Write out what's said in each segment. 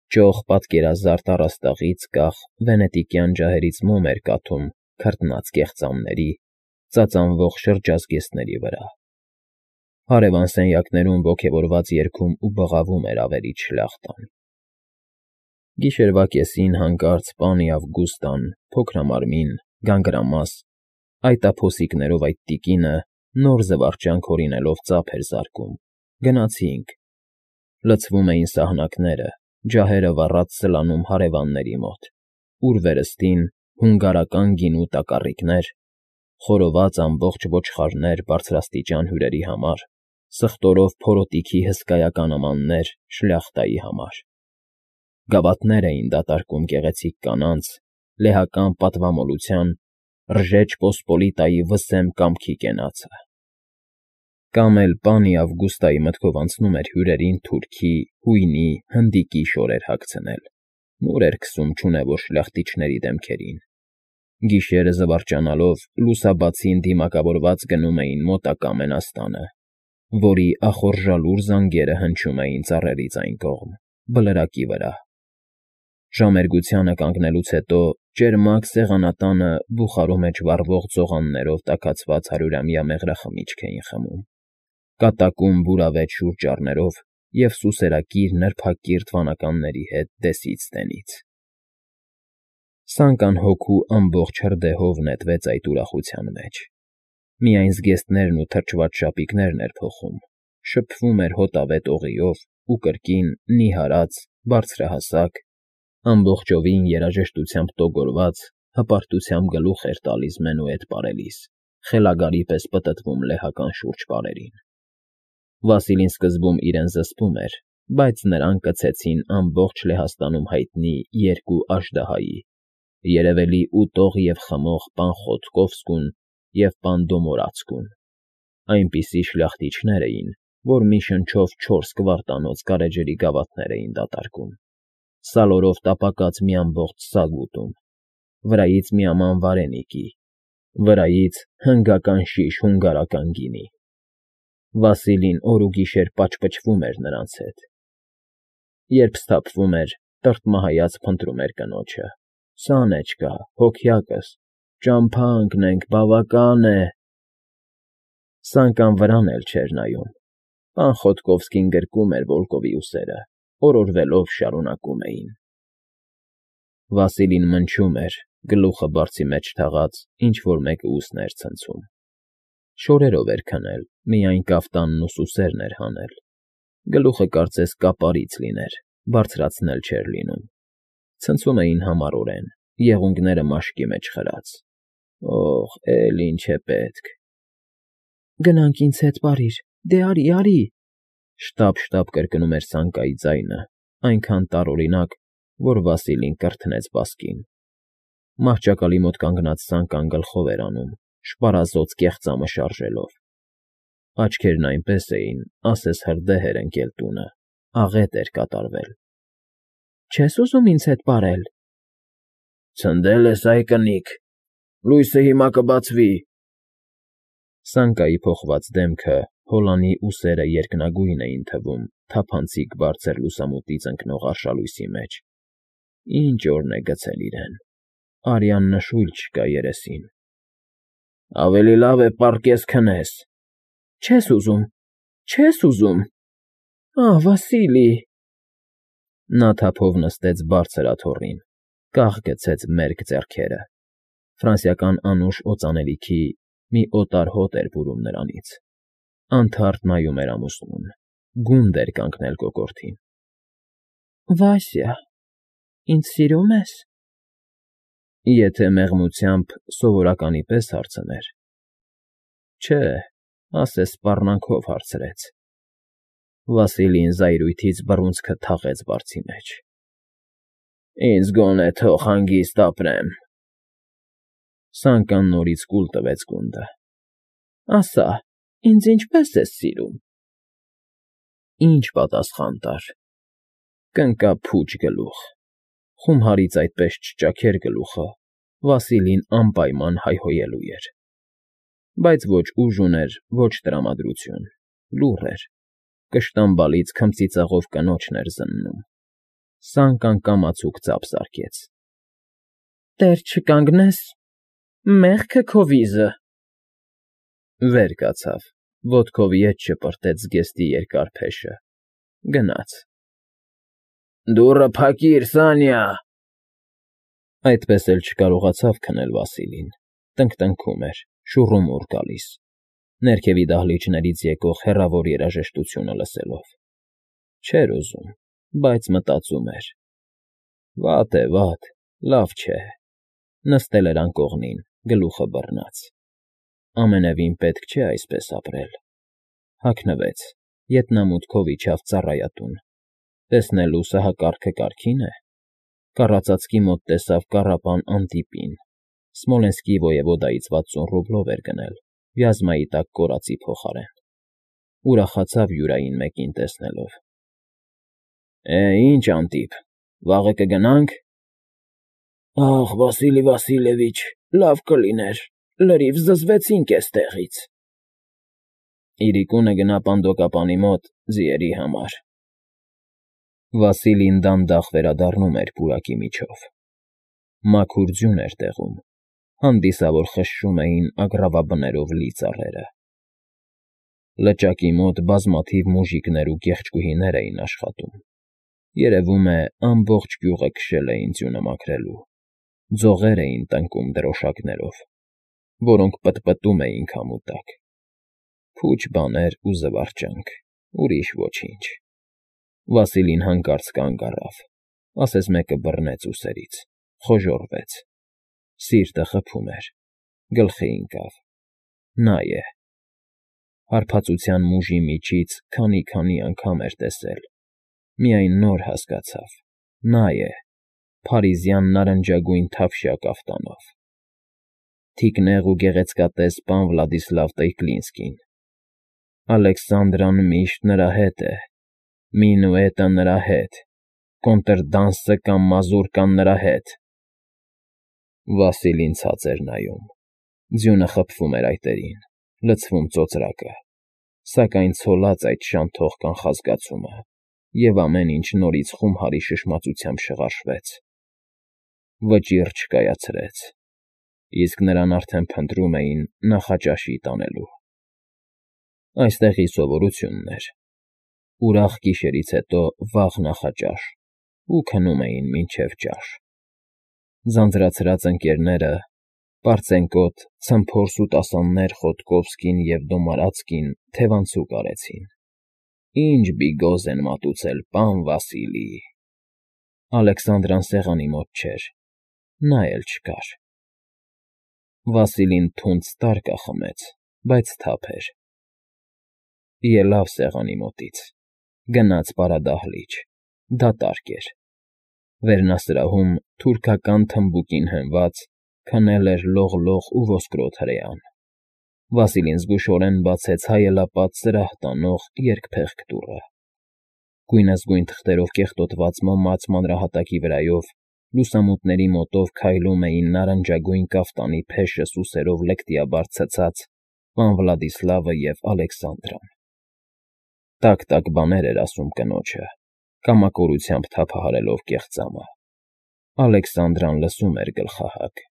Ճոխ պատկերազարդ առաստաղից կախ վենետիկյան ջահերից մոմ էր կաթում քրտնած կեղծամների, ծածանվող շրջազգեստների վրա։ Հարևան սենյակներում ոգևորված երգում ու բղավում էր ավերիչ շլախտան։ Գիշերվա կեսին հանկարծ պանի Ավգուստան, փոքրամարմին, գանգրամաս, այտափոսիկներով այդ տիկինը, նոր զվարճանք հորինելով ծափ էր զարկում։ Գնացինք։ Լցվում էին սահնակները, ջահերը վառած սլանում հարևանների մոտ, ուր վերստին հունգարական գինու տակառիկներ, խորոված ամբողջ ոչխարներ բարձրաստիճան հյուրերի համար, սխտորով փորոտիքի հսկայական ամաններ շլյախտայի համար։ Գավաթներ էին դատարկում գեղեցիկ կանանց, լեհական պատվամոլության, Ռժեջ Պոսպոլիտայի վսեմ կամքի կենացը։ Կամ էլ պանի Ավգուստայի մտքով անցնում էր հյուրերին թուրքի, հույնի, հնդիկի շորեր հագցնել, նոր էր քսում չունևոր շլյախտիչների դեմքերին։ Գիշերը զվարճանալով լուսաբացին դիմակավորված գնում էին մոտակա Մենաստանը, որի ախորժալուր զանգերը հնչում էին ծառերից այն կողմ, բլրակի վրա։ Ժամերգությանը կանգնելուց հետո ճերմակ սեղանատանը բուխարու մեջ վառվող ձողաններով տաքացված 100-ամյա մեղրախմիչք էին խմում, կատակում բուրավետ շուրճառներով և սուսերակիր նրբակիրթ վանականների հետ դեսից֊տենից։ Սանկան հոգու ամբողջ հրդեհով նետվեց այդ ուրախության մեջ։ Միայն զգեստներն ու թրջված շապիկներն էր փոխում, շփվում էր հոտավետ օղիով ու կրկին նիհարած, բարձրահասակ, ամբողջովին երաժշտությամբ տոգորված, հպարտությամբ գլուխ էր տալիս մենուետ պարելիս, խելագարի պես պտտվում լեհական շուրջպարերին։ Վասիլին սկզբում իրեն զսպում էր, բայց նրան կցեցին ամբողջ Լեհաստանում հայտնի երկու աժդահայի՝ երևելի ուտող և խմող պան Խոտկովսկուն և պան Դոմորացկուն, այնպիսի շլյախտիչներ էին, որ մի շնչով 4 կվարտանոց գարեջրի գավաթներ էին դատարկում, սալորով տապակած մի ամբողջ սագ ուտում, վրայից մի աման վարենիկի, վրայից հնգական շիշ հունգարական գինի։ Վասիլին օր ու գիշեր պաճպճվում էր նրանց հետ։ Երբ սթափվում էր, տրտմահայաց փնտրում էր կնոջը. «Սանեչկա, հոգյակս, ճամփա ընկնենք, բավական է»։ Սանկան վրան էլ չէր նայում։ Պան Խոտկովսկին գրկում էր Վոլկովի ուսերը, օրորվելով շարունակում էին։ Վասիլին մնչում էր, գլուխը բարձի մեջ թաղած, ինչ֊որ մեկը ուսներ ցնցում։ Շորերով էր քնել, միայն կաֆտանն ու սուսերն էր հանել։ Գլուխը կարծես կապարից լիներ, բարձրացնել չէր լինում։ Ցնցում էին համառորեն, եղունգները մաշկի մեջ խրած։ Օհ, էլ ինչ է պետք։ Գնանք ինձ հետ, պարիր, դե արի, արի, շտապ կրկնում էր Սանկայի ձայնը, այնքան տարօրինակ, որ Վասիլին կրթնեց բասկին։ Մահճակալի մոտ կանգնած Սանկան գլխով էր անում, շպարազոծ կեղծամը շարժելով։ Աչքերն այնպես էին, ասես հրդեհ էր ընկել տունը, աղետ էր կատարվել։ Չես ուզում ինձ հետ պարել։ Ցնդել ես, այ կնիկ, լույսը հիմա կբացվի։ Սանկայի փոխված դեմքը, հոլանի ուսերը երկնագույն էին թվում թափանցիկ բարձր լուսամուտից ընկնող արշալույսի մեջ։ Ինչ օրն է գցել իրեն։ Արյան նշույլ չկա երեսին։ Ավելի լավ է պառկես քնես։ Չես ուզում, չես ուզում։ Ահ, Վասիլի… Նա թափով նստեց բարձր աթոռին, կախ գցեց մերկ ձեռքերը։ Ֆրանսիական անուշ օծանելիքի մի օտար հոտ էր բուրում նրանից։ Անթարթ նայում էր ամուսնուն, գունդ էր կանգնել կոկորդին։ Վասյա, ինձ սիրո՞ւմ ես։ Եթե մեղմությամբ սովորականի պես հարցներ։ Չէ, ասես սպառնանքով հարցրեց։ Վասիլին զայրույթից բռունցքը թաղեց բարձի մեջ։ Ինձ գոնե թող հանգիստ ապրեմ։ Սանկան նորից կուլ տվեց գունդը։ Ասա, ինձ ինչպե՞ս ես սիրում։ Ինչ պատասխան տար։ Կընկա փուչ գլուխ։ Խումարից այդպես չճաքեր գլուխը, Վասիլին անպայման հայհոյելու էր։ Բայց ոչ ուժ ուներ, ոչ տրամադրություն, լուռ էր, կշտամբալից քմծիծաղով կնոջն էր զննում։ Սանկան կամացուկ ծափ զարկեց։ Տեր չկանգնես, մեղքը քո վիզը։ Վեր կացավ, ոտքով ետ շպրտեց զգեստի երկար փեշը, գնաց։ Դուռը փակիր, Սանյա։ Այդպես էլ չկարողացավ քնել Վասիլին, տնկտնքում էր, շուռումուռ գալիս, ներքևի դահլիճներից եկող հեռավոր երաժշտությունը լսելով։ Չէր ուզում, բայց մտածում էր. վատ է, վատ, լավ չէ։ Նստել էր անկողնին, գլուխը բռնած։ Ամենևին պետք չէ այսպես ապրել։ Հագնվեց, ետնամուտքով իջավ ծառայատուն, տեսնելու սահակարգը կարգին է։ Կառածածկի մոտ տեսավ կառապան Անտիպին, Սմոլենսկի ոևոդայից 60 ռուբլով էր գնել, Վյազմայի տակ կորածի փոխարեն։ Ուրախացավ յուրային մեկին տեսնելով։ Ինչ, Անտիպ, վաղը կգնա՞նք։ Ախ, Վասիլի Վասիլևիչ, լավ կլիներ, լրիվ զզվեցինք էստեղից։ Իրիկունը գնա պանդոկապանի մոտ ձիերի համար։ Վասիլին դանդաղ վերադառնում էր պուրակի միջով։ Մաքուր ձյուն էր տեղում, հանդիսավոր խշշում էին ագռավաբներով լի ծառերը։ Լճակի մոտ բազմաթիվ մուժիկներ ու կեղճկուհիներ էին աշխատում։ Երևում է, ամբողջ գյուղը քշել էին ձյունը մաքրելու։ Ձողեր էին տնկում դրոշակներով, որոնք պտպտում էին քամու տակ։ Փուչ բաներ ու զվարճանք, ուրիշ ոչինչ։ Վասիլին հանկարծ կանգ առավ, ասես մեկը բռնեց ուսերից, խոժոռվեց։ Սիրտը խփում էր, գլխի ընկավ։ Նա է։ Հարբածության մուժի միջից քանի անգամ էր տեսել։ Միայն նոր հասկացավ. նա է, փարիզյան նարնջագույն թավշյա կաֆտանով։ Թիկնեղ ու գեղեցկատես պան Վլադիսլավ Տեյկլինսկին։ Ալեքսանդրան միշտ նրա հետ է, մինուետը նրա հետ, կոնտրդանսը կամ մազուրկան նրա հետ։ Վասիլին ցած էր նայում։ Ձյունը խփվում էր այտերին, լցվում ծոծրակը, սակայն ցոլած այդ շանթող կանխազգացումը, և ամեն ինչ նորից խումհարի շշմածությամբ շղարշվեց։ Վճիռ չկայացրեց, իսկ նրան արդեն փնտրում էին նախաճաշի տանելու։ Այստեղի սովորությունն էր. ուրախ գիշերից հետո վաղ նախաճաշ, ու քնում էին մինչև ճաշ։ Ձանձրացրած ընկերները, պարծենկոտ, ցմփոր սուտասաններ Խոտկովսկին և Դոմարացկին թևանցուկ արեցին։ Ինչ բիգոզ են մատուցել, պան Վասիլի։ Ալեքսանդրան սեղանի մոտ չէր, նա էլ չկար։ Վասիլին թունդ ստարկա խմեց, բայց թափ էր։ Ելավ սեղանի մոտից, գնաց պարադահլիճ, դատարկ էր։ Վերնասրահում թուրքական թմբուկին հենված քնել էր լողլող ու ոսկրոտ հրեան։ Վասիլին զգուշորեն բացեց հայելապատ սրահ տանող երկփեղկ դուռը։ Գույնզգույն թղթերով կեղտոտված մոմաց մանրահատակի վրայով լուսամուտների մոտով քայլում էին նարնջագույն կաֆտանի փեշը սուսերով լկտիաբար ցցած պան Վլադիսլավը և Ալեքսանդրան։ Տակ բաներ էր ասում կնոջը, կամակորությամբ թափահարելով կեղծամը։ Ալեքսանդրան լսում էր գլխահագ։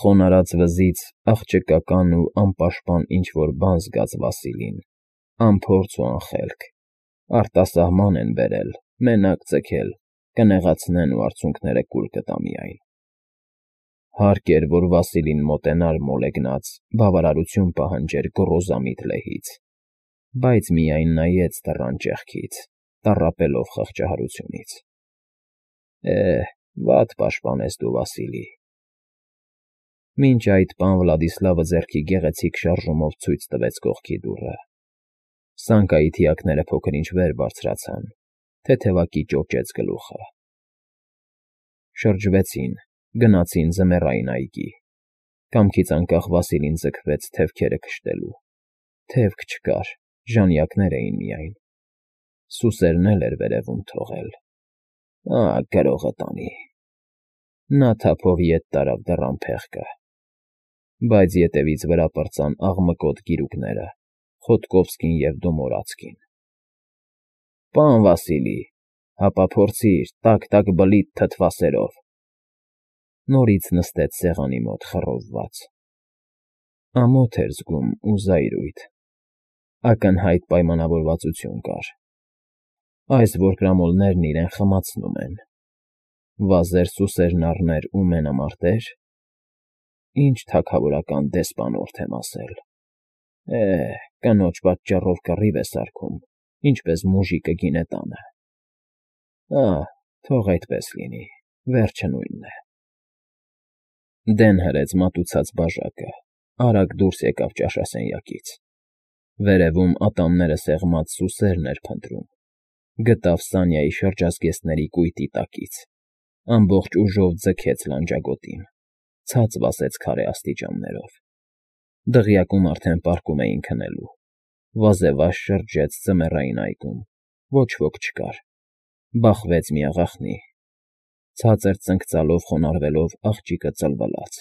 Խոնարհած վզից աղջկական ու անպաշտպան ինչ֊որ բան զգաց Վասիլին, անփորձ ու անխելք, արտասահման են բերել, մենակ ձգել, կնեղացնեն ու արցունքները կուլ կտա միայն։ Հարկ էր, որ Վասիլին մոտենար մոլեգնած, բավարարություն պահանջեր գոռոզամիտ լեհից, բայց միայն նայեց դռան ճեղքից, տառապելով խղճահարությունից։ Վատ պաշտպանես դու, Վասիլի։ Մինչ այդ պան Վլադիսլավը ձեռքի գեղեցիկ շարժումով ցույց տվեց կողքի դուռը։ Սանկայի թիակները փոքր-ինչ վեր բարձրացան, թեթևակի ճոճեց գլուխը։ Շրջվեցին, գնացին ձմեռային այգի։ Կամքից անկախ Վասիլին ձգվեց թևքերը քշտելու։ Թևք չկար, ժանյակներ էին միայն։ Սուսերն էլ էր վերևում թողել։ Գրողը տանի։ Նա թափով ետ տարավ դռան փեղկը։ Բայց ետևից վրա պրծան աղմկոտ գիրուկները, Խոտկովսկին և Դոմորացկին։ Պան Վասիլի, Հապա փորձիր, տակ բլիթ թթվասերով։ Նորից նստեց սեղանի մոտ խռովված։ Ամոթ էր զգում ու զայրույթ։ Ակնհայտ պայմանավորվածություն կար։ Այս որկրամոլներն իրեն խմացնում են։ Վազեր սուսերն առներ ու մենամարտեր։ Ինչ թագավորական դեսպանորդ եմ ասել։ Կնոջ պատճառով կռիվ է սարքում, ինչպես մուժիկը գինետանը։ Թող այդպես լինի, վերջը նույնն է։ Դեն հրեց մատուցած բաժակը, արագ դուրս եկավ ճաշասենյակից։ Վերևում ատամները սեղմած սուսերն էր փնտրում։ Գտավ Սանյայի շրջազգեստների կույտի տակից։ Ամբողջ ուժով ձգեց լանջագոտին, ցած վազեց քարե աստիճաններով։ Դղյակում արդեն պառկում էին քնելու։ Վազեվազ շրջեց ձմեռային այգում, ոչ ոք չկար։ Բախվեց մի աղախնի։ Ցածր ծնկծալով խոնարհվելով աղջիկը ծլվլաց։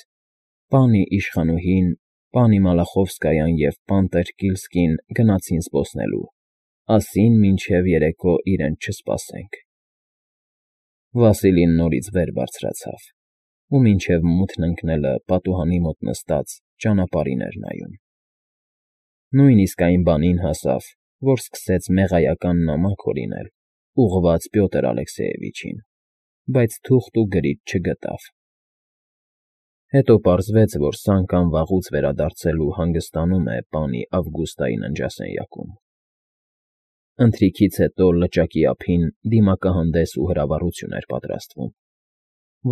Պանի իշխանուհին, պանի Մալախովսկայան և պան Տերկիլսկին գնացին զբոսնելու, ասին մինչև երեկո իրենց չսպասենք։ Վասիլին նորից վեր բարձրացավ ու մինչև մութն ընկնելը պատուհանի մոտ նստած ճանապարհին էր նայում։ Նույնիսկ այն բանին հասավ, որ սկսեց մեղայական նամակ հորինել, ուղղված Պյոտր Ալեքսեևիչին, բայց թուղթ ու գրիչ չգտավ։ Հետո պարզվեց, որ Սանկան վաղուց վերադարձել ու հանգստանում է պանի Ավգուստայի ննջասենյակում։ Ընթրիքից հետո լճակի ափին դիմակահանդես ու հրավառություն էր պատրաստվում։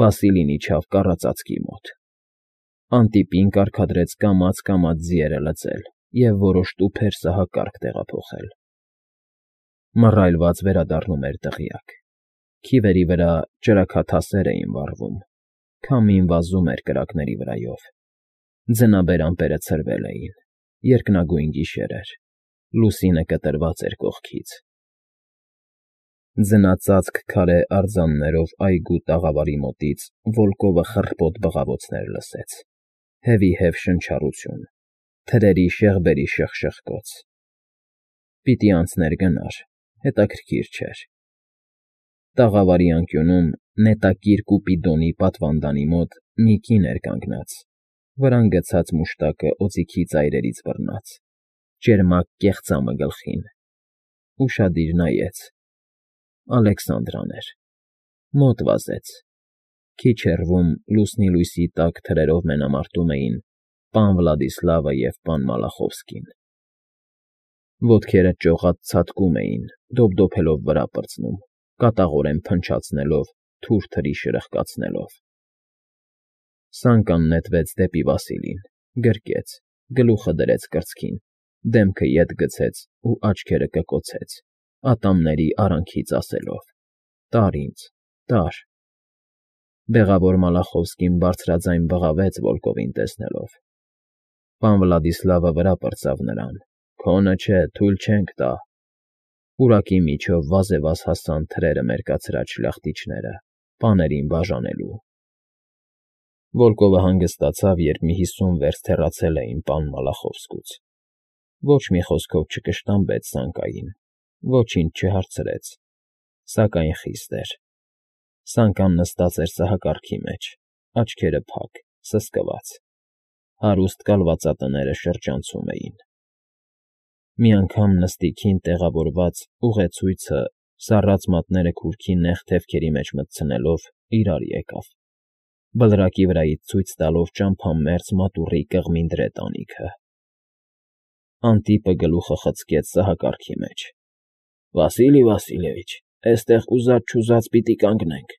Վասիլին իջավ կառածածկի մոտ։ Անտիպին կարգադրեց կամաց ձիերը լծել և որոշ տուփեր սահակարգ տեղափոխել։ Մռայլված վերադառնում էր դղյակ։ Քիվերի վրա ճրագաթասեր էին վառվում, քամին վազում էր կրակների վրայով։ Ձնաբեր ամպերը ցրվել էին, երկնագույն գիշեր էր, լուսինը կտրված էր կողքից։ Ձնածածկ քարե արձաններով այգու տաղավարի մոտից Վոլկովը խռպոտ բղավոցներ լսեց, հևիհև շնչառություն, թրերի շեղբերի շխկոց։ Պիտի անցներ գնար, հետաքրքիր չէր։ Տաղավարի անկյունում նետակիր Կուպիդոնի պատվանդանի մոտ մի կին էր կանգնած, վրան գցած մուշտակը օձիքի ծայրերից բռնած, ճերմակ կեղծամը գլխին։ Ուշադիր նայեց։ Ալեքսանդրան էր։ Մոտ վազեց։ Քիչ հեռվում լուսնի լույսի տակ թրերով մենամարտում էին պան Վլադիսլավը և պան Մալախովսկին։ Ոտքերը ճողատ ցատկում էին, դոփդոփելով վրա պրծնում, կատաղորեն փնչացնելով, թուր թրի շրխկացնելով։ Սանկան նետվեց դեպի Վասիլին, գրկեց, գլուխը դրեց կրծքին, դեմքը ետ գցեց ու աչքերը կկոցեց, ատամների արանքից ասելով. «Տար ինձ, տար»։ Բեղավոր Մալախովսկին բարձրաձայն բղավեց Վոլկովին տեսնելով։ Պան Վլադիսլավը վրա պրծավ նրան. «Քոնը չէ, թույլ չենք տա»։ Պուրակի միջով վազեվազ հասան թրերը մերկացրած շլախտիչները, պաներին բաժանելու։ Վոլկովը հանգստացավ, երբ մի 50 վերստ հեռացել էին պան Մալախովսկուց։ Ոչ մի խոսքով չկշտամբեց Սանկային, ոչինչ չհարցրեց, սակայն խիստ էր։ Սանկան նստած էր սահակարգի մեջ, աչքերը փակ, սսկված։ Հարուստ կալվածատները շրջանցում էին։ Մի անգամ նստիքին տեղավորված ուղեցույցը սառած մատները քուրքի նեղ թևքերի մեջ մտցնելով իրար եկավ, բլրակի վրայից ցույց տալով ճամփամերձ մատուռի կղմինդրե տանիքը։ Անտիպը գլուխը խցկեց սահակարգի մեջ։ Վասիլի Վասիլիևիչ, էստեղ ուզած֊չուզած պիտի կանգնենք։